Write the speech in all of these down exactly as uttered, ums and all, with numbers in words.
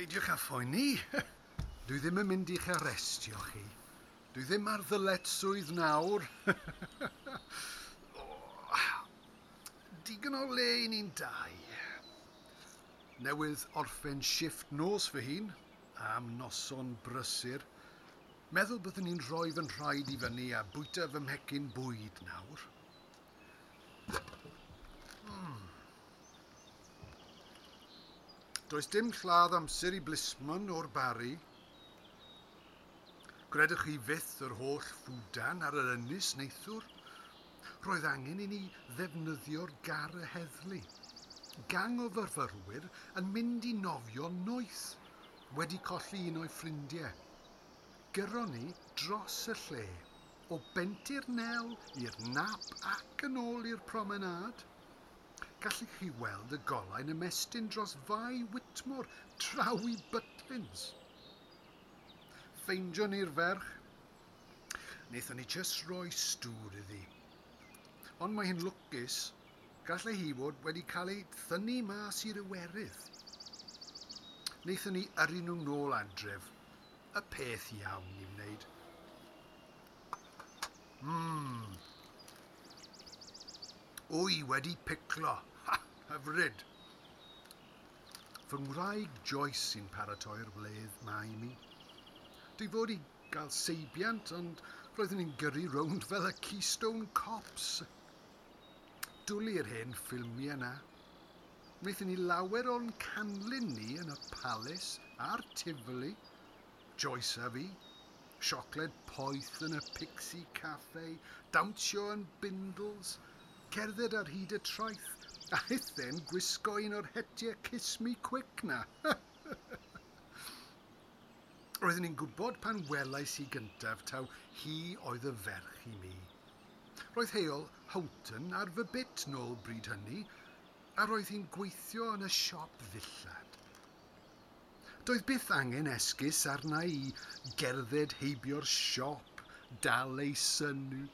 Peidiwch â phoeni. Dwi ddim yn mynd i'ch arestio chi. Dwi ddim ar ddyletswydd nawr. Digon o le i ni'n dau. Newydd orffen shifft nos fy hun, am noson brysur. Meddwl byddwn ni'n rhoi fy nhraed i fyny a bwyta fy mhecyn bwyd nawr. Mm. Does dim lladd amser i blismon o'r Barri. Gredwch chi fyth yr holl ffwdan ar yr ynys neithiwr? Roedd angen i ni ddefnyddio'r gar y heddlu. Gang o fyfyrwyr yn mynd i nofio noeth, wedi colli un o'i ffrindiau. Gyron ni dros y lle, o Bentir Nel i'r Nap ac yn ôl i'r promenâd. Gallech chi weld y golau'n ymestyn dros Fae Whitmore draw i Butlins. Ffeindion ni'r ferch. Wnaethon ni jyst roi stŵr iddi. Ond mae hi'n lwcus, gallai hi fod wedi cael ei thynnu mas i'r Iwerydd. Wnaethon ni yrru nhw nôl adref, y peth iawn i wneud. Mmm. Wy wedi piclo. Ha, hyfryd. Fy ngwraig Joyce sy'n paratoi'r wledd 'ma i mi. Dwi fod i gael seibiant, ond roeddwn i'n gyrru rownd fel y Keystone Cops. Dwlu'r hen ffilmiau 'na. Wnaethon ni lawer o'n canlyn ni yn y Palace a'r Tivoli. Joyce a fi. Siocled poeth yn y Pixie Cafe, dawnsio yn Bindles, cerdded ar hyd y traeth, a hithen gwisgo un o'r hetiau Kiss Me Quick na. Roeddwn i'n gwybod pan welais i gyntaf taw hi oedd y ferch i mi. Roedd heol Houghton ar fy bit nôl bryd hynny, a roedd hi'n gweithio yn y siop ddillad. Doedd byth angen esgus arna i gerdded heibio'r siop, dal ei sylw.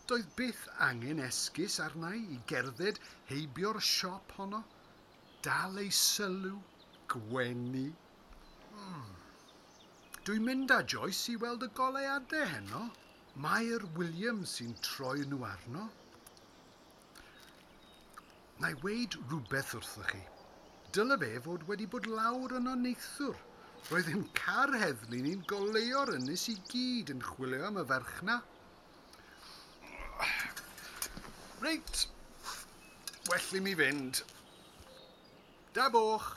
Doedd byth angen esgus arna i gerdded heibio'r siop honno, dal ei sylw, gwenu. Mm. Dwi'n mynd â Joyce i weld y goleuadau heno. Mair Williams sy'n troi nhw arno. Na i weud rhywbeth wrthoch chi. Dyle fe fod wedi bod lawr yno neithiwr. Roedd ein car heddlu ni'n goleuo'r ynys i gyd yn chwilio am y ferch 'na. Reit, well i mi fynd. Da boch.